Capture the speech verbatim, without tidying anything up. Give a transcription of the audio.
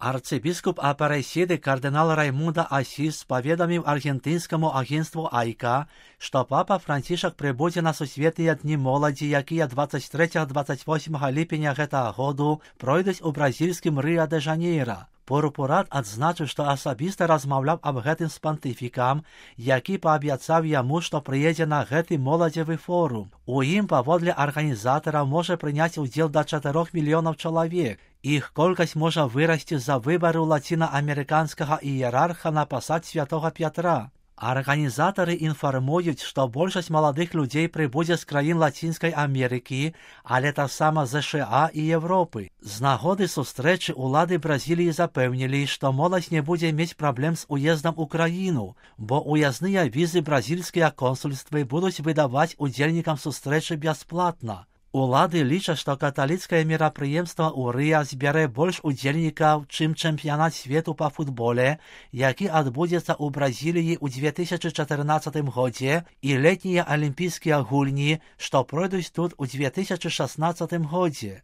Арцыбіскуп Апаресіды кардинал Раймунда Асіс паведаміў аргентынскаму агентству Айка, што папа Францішак прыбудзе на сусветныя дні моладзі, якія двадцать трэцяга - двадцать восьмага ліпеня гэтага году пройдуць у бразільскім Рыа-дэ-Жанейра. Пурпурат адзначыў, што асабіста размаўляў аб гэтым з пантыфікам, які паабяцаў яму, што прыедзе на гэты моладзевы форум. У ім, паводле арганізатараў, можа прыняць удзел да чатырох мільёнаў чалавек. Іх колькасць можа вырасці з-за выбару лацінаамерыканскага іерарха на пасад святога Пятра. Арганізатары інфармуюць, што большасць маладых людзей прыбудзе з краін Лацінскай Амерыкі, але таксама ЗША і Европы. З нагоды сустрэчы улады Бразіліі запэўнілі, што моладзь не будзе мець праблем з уездам у краіну, бо уязныя візы бразільскія консульствы будуць выдаваць удзельнікам сустрэчы бясплатна. Улады лічаць, што каталіцкае мерапрыемства ў Рыа збярэ больш удзельнікаў, чым чэмпіянат свету па футболе, які адбудзецца ў Бразіліі ў две тысячы чатырнаццатым годзе, і летнія алімпійскія гульні, што пройдуць тут у две тысячы шаснаццатым годзе.